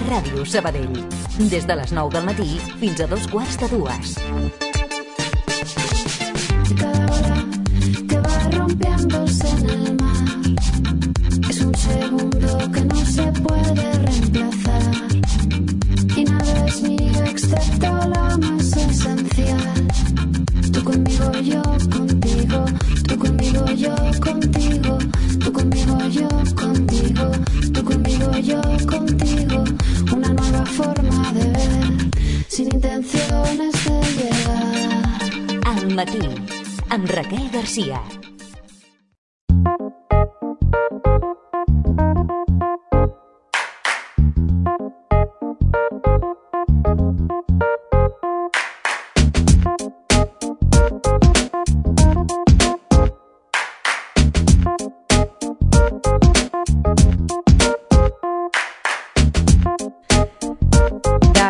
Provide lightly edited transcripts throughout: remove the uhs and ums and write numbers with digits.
Ràdio Sabadell. Des de les 9 del matí fins a 2:45. Cada ola que va rompiéndose en el mar es un segundo que no se puede reemplazar y nada es mío excepto la más esencial. Tú conmigo, yo contigo, tú conmigo, yo contigo, tú conmigo, yo contigo, tú conmigo, yo contigo. Una nueva forma de ver sin intenciones de llegar. Al matí, amb Raquel Garcia.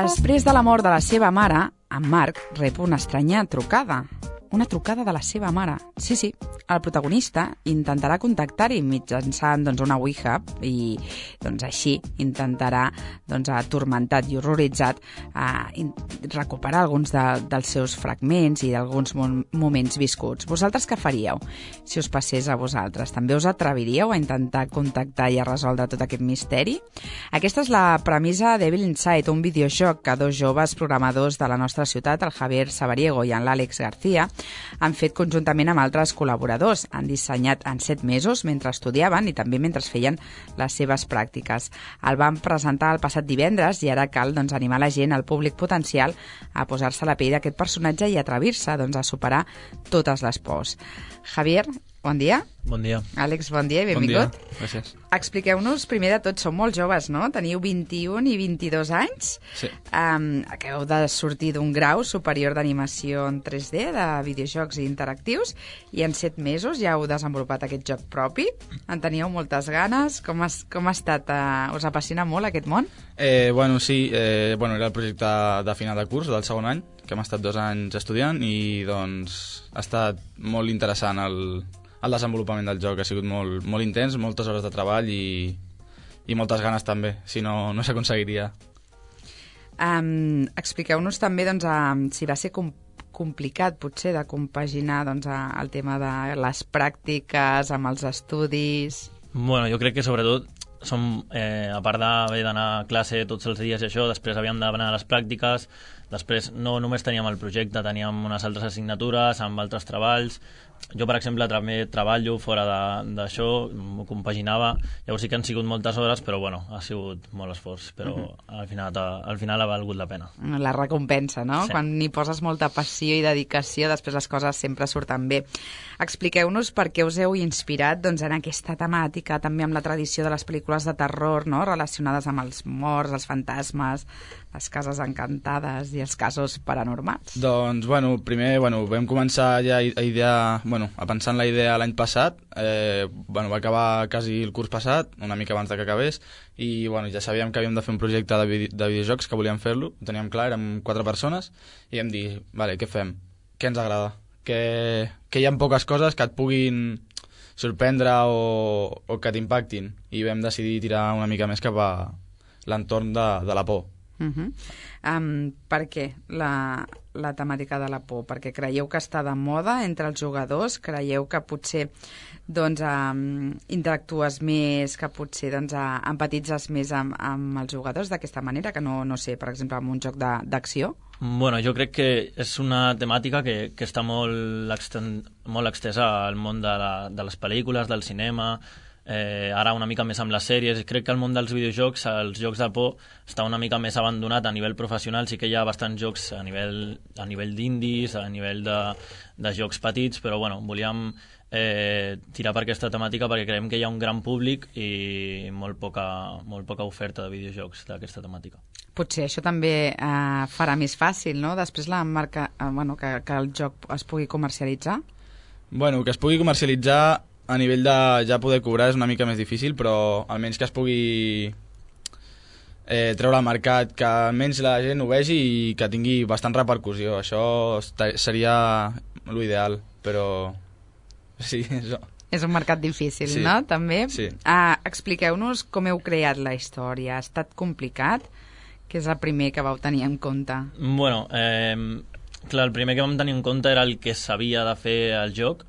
Després de la mort de la seva mare, en Marc rep una estranya trucada. Una trucada de la seva mare. Sí, el protagonista intentarà contactar-hi mitjançant una Ouija i així intentarà, atormentat i horroritzat, recuperar alguns dels seus fragments i d'alguns moments viscuts. Vosaltres què faríeu si us passés a vosaltres? També us atreviríeu a intentar contactar i a resoldre tot aquest misteri? Aquesta és la premissa d'Evil Inside, un videojoc que dos joves programadors de la nostra ciutat, el Javier Sabariego i en l'Àlex García, han fet conjuntament amb altres col·laboradors. Han dissenyat en 7 mesos mentre estudiaven i també mentre feien les seves pràctiques. El van presentar el passat divendres i ara cal animar la gent, el públic potencial, a posar-se a la pell d'aquest personatge i atrevir-se a superar totes les pors. Javier, bon dia. Bon dia. Àlex, bon dia i benvingut. Bon dia, gràcies. Expliqueu-nos, primer de tot, sou molt joves, no? Teniu 21 i 22 anys. Sí. Acabeu de sortir d'un grau superior d'animació en 3D, de videojocs interactius, i en 7 mesos ja heu desenvolupat aquest joc propi. En teníeu moltes ganes. Com ha estat? Us apassiona molt aquest món? Sí. Era el projecte de final de curs, del segon any, que hem estat 2 anys estudiant i ha estat molt interessant el desenvolupament del joc. Ha sigut molt intens, moltes hores de treball i moltes ganes també, si no s'aconseguiria. Expliqueu-nos també si va ser complicat potser de compaginar el tema de les pràctiques amb els estudis. Bueno, jo crec que sobretot a part d'haver d'anar a classe tots els dies i això, després havíem d'anar a les pràctiques, després no només teníem el projecte, teníem unes altres assignatures amb altres treballs. Jo, per exemple, també treballo fora d'això, m'ho compaginava, llavors sí que han sigut moltes hores, però ha sigut molt esforç, però al final ha valgut la pena. La recompensa, no? Sí. Quan hi poses molta passió i dedicació, després les coses sempre surten bé. Expliqueu-nos per què us heu inspirat en aquesta temàtica, també amb la tradició de les pel·lícules de terror, no? Relacionades amb els morts, els fantasmes, les cases encantades i els casos paranormals. Doncs, primer vam començar ja a pensar en la idea l'any passat. Va acabar quasi el curs passat, una mica abans que acabés, i ja sabíem que havíem de fer un projecte de videojocs, que volíem fer-lo, ho teníem clar, érem 4 persones, i vam dir, què fem? Què ens agrada? Que hi ha poques coses que et puguin sorprendre o que t'impactin, i vam decidir tirar una mica més cap a l'entorn de la por. Per què la temàtica de la por? Perquè creieu que està de moda entre els jugadors? Creieu que potser interactues més, que potser empatitzes més amb els jugadors d'aquesta manera, que no sé, per exemple, amb un joc d'acció? Jo crec que és una temàtica que està molt extesa al món de les pel·lícules, del cinema, ara una mica més amb les sèries. Crec que el món dels videojocs, els jocs de por, està una mica més abandonat a nivell professional. Sí que hi ha bastants jocs a nivell d'indis, a nivell de jocs petits, però volíem tirar per aquesta temàtica perquè creiem que hi ha un gran públic i molt poca oferta de videojocs d'aquesta temàtica. Potser això també farà més fàcil, no? Després que el joc es pugui comercialitzar? Que es pugui comercialitzar a nivell de ja poder cobrar és una mica més difícil, però almenys que es pugui treure al mercat, que almenys la gent ho vegi i que tingui bastant repercussió. Això seria l'ideal, però sí, això. És un mercat difícil, Sí. no? També. Sí. Expliqueu-nos com heu creat la història. Ha estat complicat? Què és el primer que vau tenir en compte? Bueno, clar, el primer que vam tenir en compte era el que s'havia de fer al joc,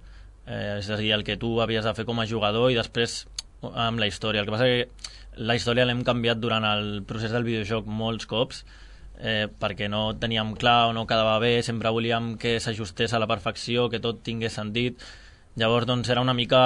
és a dir, el que tu havies de fer com a jugador, i després amb la història. El que passa que la història l'hem canviat durant el procés del videojoc molts cops, perquè no teníem clar o no quedava bé, sempre volíem que s'ajustés a la perfecció, que tot tingués sentit. Llavors, doncs, era una mica...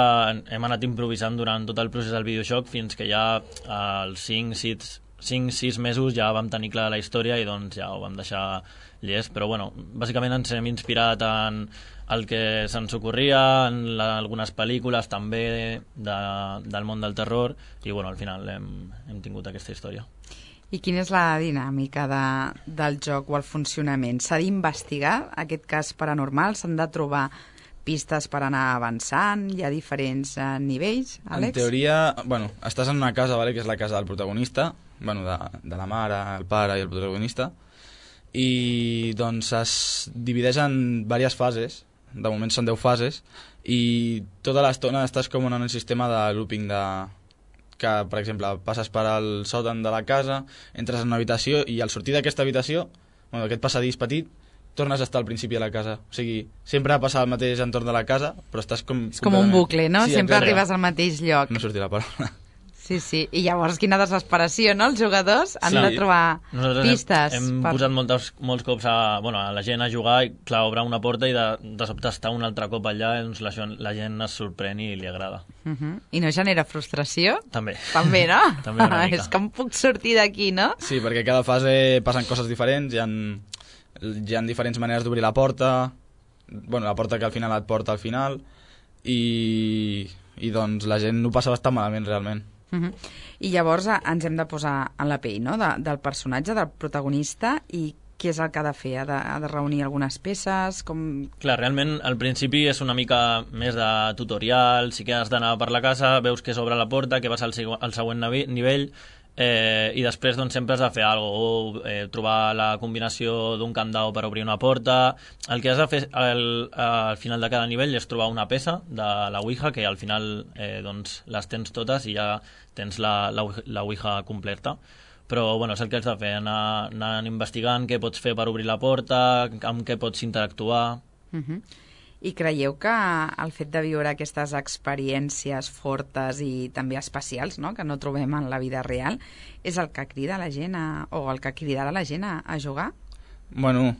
Hem anat improvisant durant tot el procés del videojoc fins que ja als 5-6 mesos ja vam tenir clara la història i doncs ja ho vam deixar llest. Però, bueno, bàsicament ens hem inspirat en el que se'ns ocorria, en algunes pel·lícules també del món del terror, i, bueno, al final hem tingut aquesta història. I quina és la dinàmica del joc o el funcionament? S'ha d'investigar aquest cas paranormal? S'han de trobar pistes per anar avançant? Hi ha diferents nivells, Àlex? En teoria, bueno, estàs en una casa, vale, que és la casa del protagonista, bueno, de la mare, el pare i el protagonista, i doncs es divideix en diverses fases. De moment són 10 fases, i tota l'estona estàs com en un sistema de looping que, per exemple, passes per al sòtan de la casa, entres en una habitació i al sortir d'aquesta habitació, bueno, d'aquest passadís petit, tornes a estar al principi de la casa. O sigui, sempre passa el mateix entorn de la casa, però estàs com... És com un bucle, no? Sí, Sempre exacte. arribes al mateix lloc. No sortirà la paraula. Sí. I llavors, quina desesperació, no? Els jugadors han de trobar Nosaltres pistes. hem posat molts cops a la gent a jugar, i clar, obre una porta i de sobte està un altre cop allà, doncs la gent es sorprèn i li agrada. I no genera frustració? També. També, no? També una mica. És com puc sortir d'aquí, no? Sí, perquè cada fase passen coses diferents, hi ha diferents maneres d'obrir la porta, bueno, la porta que al final et porta al final, i doncs la gent ho passa bastant malament, realment. I llavors ens hem de posar en la pell, no?, del personatge, del protagonista, i què és el que ha de fer? Ha de reunir algunes peces? Clar, realment al principi és una mica més de tutorial, sí que has d'anar per la casa, veus que s'obre la porta, que vas al següent nivell, i després doncs, sempre has de fer alguna cosa, o trobar la combinació d'un candau per obrir una porta. El que has de fer al final de cada nivell és trobar una peça de la Ouija, que al final doncs, les tens totes i ja tens la Ouija completa. Però bueno, és el que has de fer, anar investigant què pots fer per obrir la porta, amb què pots interactuar. I creieu que el fet de viure aquestes experiències fortes i també especials, no?, que no trobem en la vida real, és el que crida la gent o el que cridarà la gent a jugar? Bueno,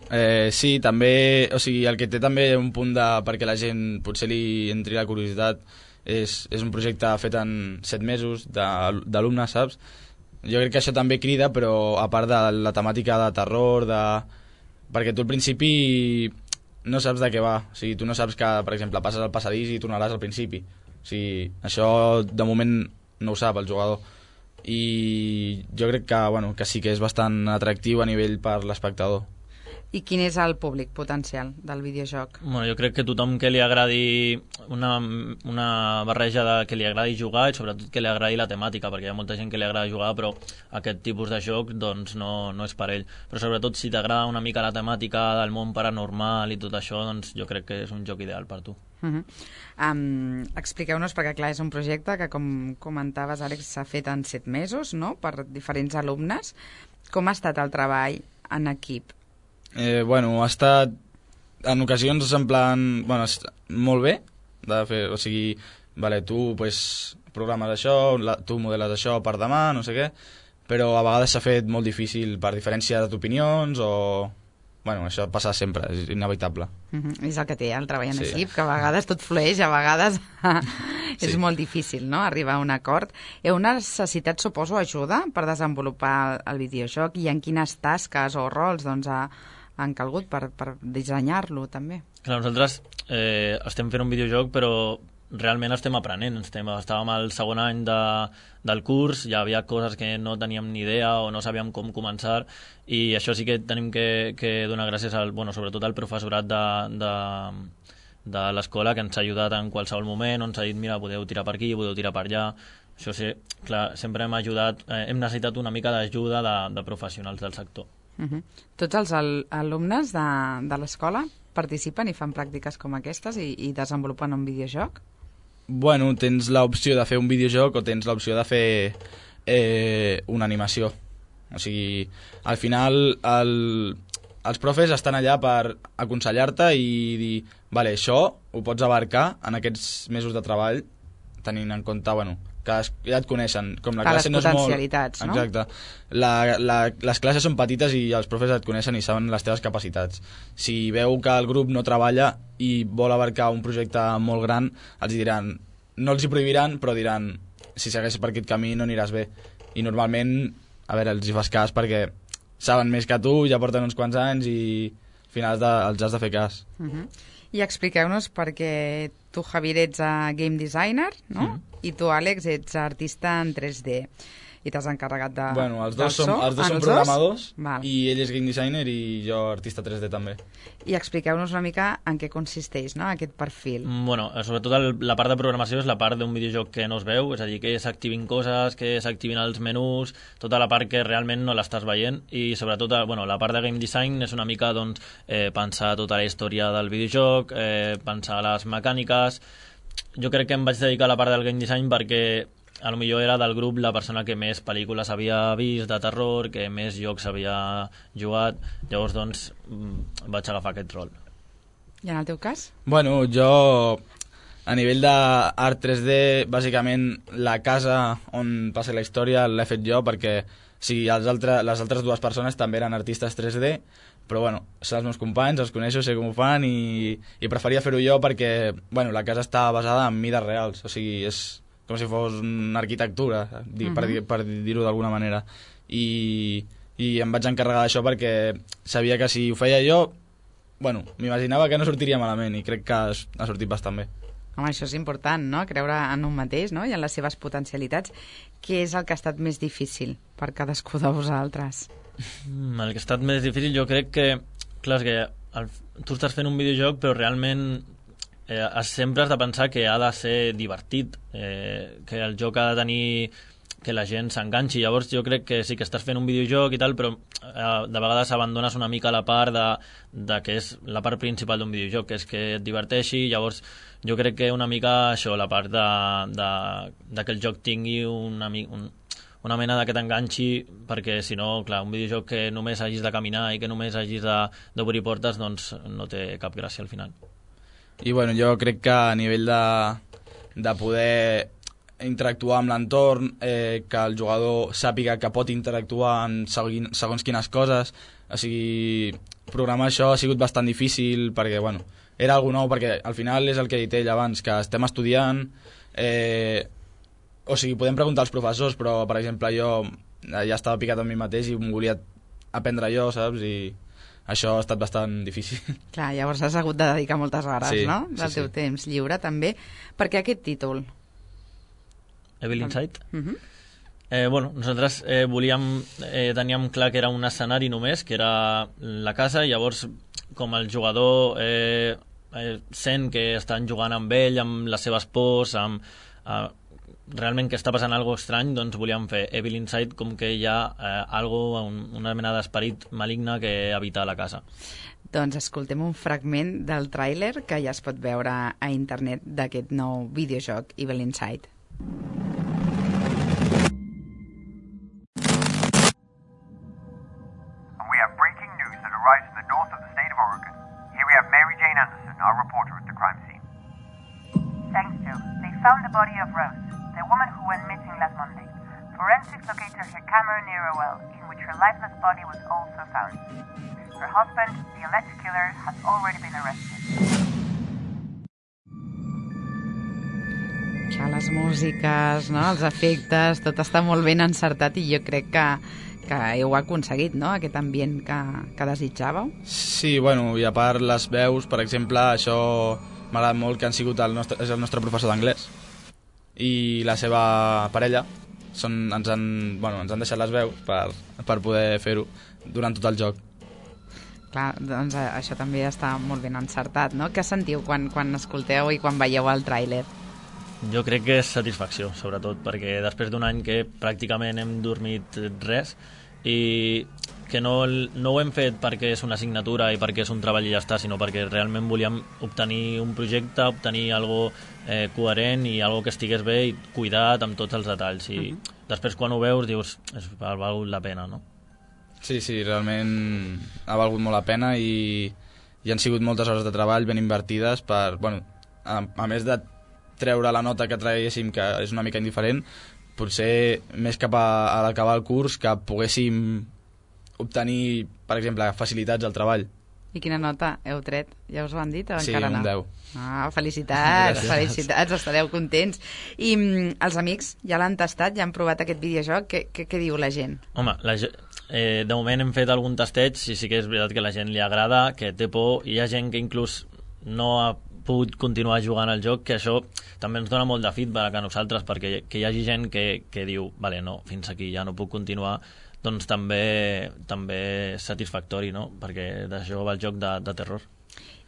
sí, també, o sigui, el que té també un punt perquè la gent potser li entri la curiositat és un projecte fet en 7 mesos d'alumnes, saps? Jo crec que això també crida, però a part de la temàtica de terror, perquè tu al principi no saps de què va. O sigui, tu no saps que, per exemple, passes al passadís i tornaràs al principi. O sigui, això de moment no ho sap el jugador. I jo crec que, bueno, que sí que és bastant atractiu a nivell per l'espectador. I quin és el públic potencial del videojoc? Bueno, jo crec que tothom que li agradi una barreja de que li agradi jugar i sobretot que li agradi la temàtica, perquè hi ha molta gent que li agrada jugar però aquest tipus de joc doncs no és per ell. Però sobretot si t'agrada una mica la temàtica del món paranormal i tot això, doncs jo crec que és un joc ideal per tu. Expliqueu-nos, perquè clar, és un projecte que, com comentaves, Àlex, s'ha fet en 7 mesos, no?, per diferents alumnes. Com ha estat el treball en equip? Bueno, ha estat en ocasions en plan, bueno, molt bé de fer, o sigui, vale, tu pues, programes això, tu modeles això per demà, no sé què, però a vegades s'ha fet molt difícil per diferència d'opinions o... Bueno, això passa sempre, és inevitable. És el que té el treball en equip, que a vegades tot flueix, a vegades és molt difícil, no?, arribar a un acord. Heu necessitat, suposo, ajuda per desenvolupar el videojoc, i en quines tasques o rols doncs, han calgut per dissenyar-lo, també? Clar, nosaltres estem fent un videojoc, però realment estem aprenent. Estàvem al segon any del curs, ja havia coses que no teníem ni idea o no sabíem com començar, i això sí que tenim que donar gràcies sobretot al professorat de l'escola, que ens ha ajudat en qualsevol moment, on s'ha dit, mira, podeu tirar per aquí, podeu tirar per allà. Això sí, clar, sempre hem necessitat una mica d'ajuda de professionals del sector. Tots els alumnes de l'escola participen i fan pràctiques com aquestes i desenvolupen un videojoc? bueno, tens l'opció de fer un videojoc o tens l'opció de fer una animació. O sigui, al final els profes estan allà per aconsellar-te i dir, vale, això ho pots abarcar en aquests mesos de treball, tenint en compte, bueno, que ja et coneixen. Com la classe no és molt... potencialitats, no? Exacte. Les classes són petites i els profes et coneixen i saben les teves capacitats. Si veu que el grup no treballa i vol abarcar un projecte molt gran, els diran, no els hi prohibiran, però diran, si segueixes per aquest camí no aniràs bé. I normalment, a veure, els hi fas cas perquè saben més que tu, ja porten uns quants anys i al final els has de fer cas. I expliqueu-nos perquè tu, Javier, ets game designer, no? I tu, Àlex, ets artista en 3D. I t'has encarregat de... Bueno, els dos som programadors i ell és game designer i jo artista 3D també. I expliqueu-nos una mica en què consisteix, no?, aquest perfil. Bueno, sobretot la part de programació és la part d'un videojoc que no es veu, és a dir, que s'activin coses, que s'activin els menús, tota la part que realment no l'estàs veient i sobretot bueno, la part de game design és una mica doncs, pensar tota la història del videojoc, pensar les mecàniques. Jo crec que em vaig dedicar a la part del game design perquè a lo millor era del grup la persona que més pel·lícules havia vist de terror, que més jocs havia jugat, llavors doncs vaig agafar aquest rol. I en el teu cas? Bueno, jo a nivell d'art 3D, bàsicament la casa on passa la història l'he fet jo perquè sí, les altres dues persones també eren artistes 3D, però bueno, són els meus companys, els coneixo, sé com ho fan i preferia fer-ho jo perquè bueno, la casa està basada en mides reals, o sigui, és com si fos una arquitectura, per dir-ho d'alguna manera. I em vaig encarregar d'això perquè sabia que si ho feia jo, bueno, m'imaginava que no sortiria malament i crec que ha sortit bastant bé. Home, això és important, no?, creure en un mateix, no?, i en les seves potencialitats. Què és el que ha estat més difícil per cadascú de vosaltres? El que ha estat més difícil jo crec que, clar, és que tu estàs fent un videojoc però realment sempre has de pensar que ha de ser divertit, que el joc ha de tenir que la gent s'enganxi. Llavors jo crec que sí que estàs fent un videojoc i tal, però de vegades abandones una mica la part de que és la part principal d'un videojoc, que és que et diverteixi. Llavors jo crec que una mica això, la part de que el joc tingui una mena de que t'enganxi, perquè si no, clar, un videojoc que només hagis de caminar i que només hagis d'obrir portes, doncs no té cap gràcia al final. I bueno, jo crec que a nivell de poder interactuar amb l'entorn, que el jugador sàpiga que pot interactuar en segons quines coses, o sigui, programar això ha sigut bastant difícil perquè, bueno, era algo nou, perquè al final és el que he dit ell abans, que estem estudiant, o sigui, podem preguntar als professors, però, per exemple, jo ja estava picat amb mi mateix i m'ho volia aprendre jo, saps? I això ha estat bastant difícil. Clar, llavors has hagut de dedicar moltes hores, sí, no?, del teu temps lliure, també. Per què aquest títol? Evil Inside? Bueno, nosaltres teníem clar que era un escenari només, que era la casa, i llavors, com el jugador sent que estan jugant amb ell, amb les seves pors, realment que està passant alguna cosa estrany, doncs volíem fer Evil Inside com que hi ha una mena d'esperit maligne que habita la casa. Doncs escoltem un fragment del tràiler que ja es pot veure a internet d'aquest nou videojoc Evil Inside. We have breaking news that arrives from the north of the state of Oregon. Here we have Mary Jane Anderson, our reporter at the crime scene. Thanks, Joe. They found the body of Rose, the woman who went missing last Monday. Forensics located her camera near a well, in which her lifeless body was also found. Her husband, the alleged killer, has already been arrested. Clar, les músiques, no?, els efectes, tot està molt ben encertat i jo crec que heu aconseguit, no?, aquest ambient que desitjàveu. Sí, bueno, i a part les veus, per exemple, això m'agrada molt, que han sigut és el nostre professor d'anglès i la seva parella ens han deixat les veus per poder fer-ho durant tot el joc. Clar, doncs això també està molt ben encertat, no? Què sentiu quan escolteu i quan veieu el tràiler? Jo crec que és satisfacció, sobretot, perquè després d'un any que pràcticament hem dormit res, i que no ho hem fet perquè és una assignatura i perquè és un treball i ja està, sinó perquè realment volíem obtenir un projecte, obtenir algo coherent i algo que estigués bé i cuidat amb tots els detalls. I després quan ho veus dius, ha valgut la pena, no? Sí, realment ha valgut molt la pena i han sigut moltes hores de treball ben invertides per, bueno, a més de treure la nota que traguéssim, que és una mica indiferent, potser més cap a l'acabar el curs que poguéssim obtenir, per exemple, facilitats al treball. I quina nota heu tret? Ja us ho han dit o Sí, encara no? un 10. Ah, felicitats, felicitats, estareu contents. I els amics ja l'han tastat, ja han provat aquest videojoc, què diu la gent? Home, de moment hem fet algun tasteig i sí que és veritat que la gent li agrada, que té por, i hi ha gent que inclús no ha pogut continuar jugant al joc, que això també ens dona molt de feedback a nosaltres, perquè que hi hagi gent que diu, vale, no, fins aquí ja no puc continuar, doncs també és satisfactori, no? Perquè d'això va el joc de terror.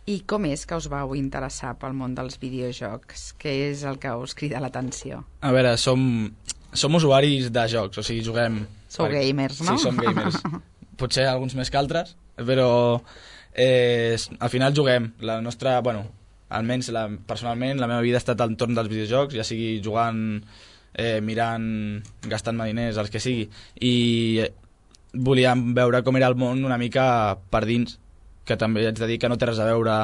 I com és que us vau interessar pel món dels videojocs? Què és el que us crida l'atenció? A veure, som usuaris de jocs, o sigui, juguem... Sou gamers, no? Sí, som gamers. Potser alguns més que altres, però al final juguem. La nostra, bueno, almenys personalment, la meva vida ha estat al entorn dels videojocs, ja sigui jugant, mirant, gastant-me diners, els que sigui, i volíem veure com era el món una mica per dins, que també haig de dir que no té res a veure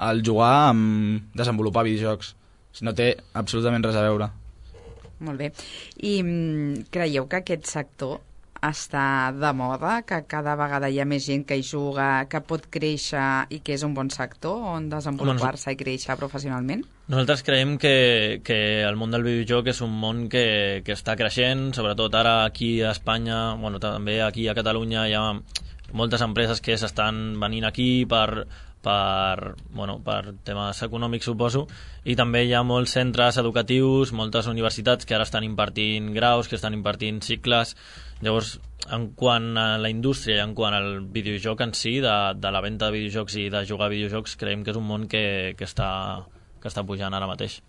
el jugar amb desenvolupar videojocs. No té absolutament res a veure. Molt bé. I creieu que aquest sector està de moda, que cada vegada hi ha més gent que hi juga, que pot créixer i que és un bon sector on desenvolupar-se i créixer professionalment? Nosaltres creiem que el món del videojoc és un món que està creixent, sobretot ara aquí a Espanya, bueno, també aquí a Catalunya hi ha moltes empreses que s'estan venint aquí per temes econòmics, suposo, i també hi ha molts centres educatius, moltes universitats que ara estan impartint graus, que estan impartint cicles. Llavors, en quant a la indústria i en quant al videojoc en si, de la venda de videojocs i de jugar a videojocs, creiem que és un món que està pujant ara mateix.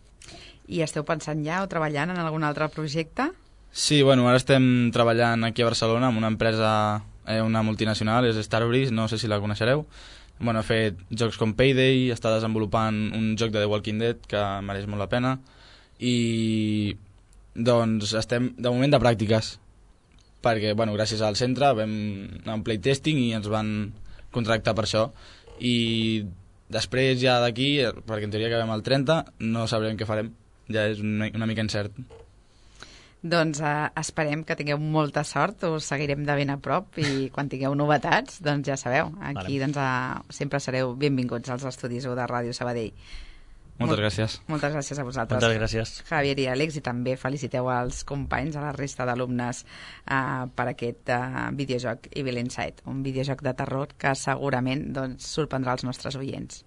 I esteu pensant ja o treballant en algun altre projecte? Sí, bueno, ara estem treballant aquí a Barcelona amb una empresa, una multinacional, és Starbreeze, no sé si la coneixereu. Bueno, ha fet jocs com Payday, està desenvolupant un joc de The Walking Dead que mereix molt la pena, i doncs estem de moment de pràctiques, perquè bueno, gràcies al centre vam anar a un playtesting i ens van contractar per això, i després ja d'aquí, perquè en teoria acabem el 30, no sabrem què farem, ja és una mica incert. Doncs esperem que tingueu molta sort, us seguirem de ben a prop i quan tingueu novetats, doncs ja sabeu, aquí doncs, sempre sereu benvinguts als estudis de Ràdio Sabadell. Moltes gràcies. Moltes gràcies a vosaltres. Moltes gràcies. Javier i Àlex, i també feliciteu als companys, a la resta d'alumnes per aquest videojoc Evil Inside, un videojoc de terror que segurament doncs, sorprendrà els nostres oients.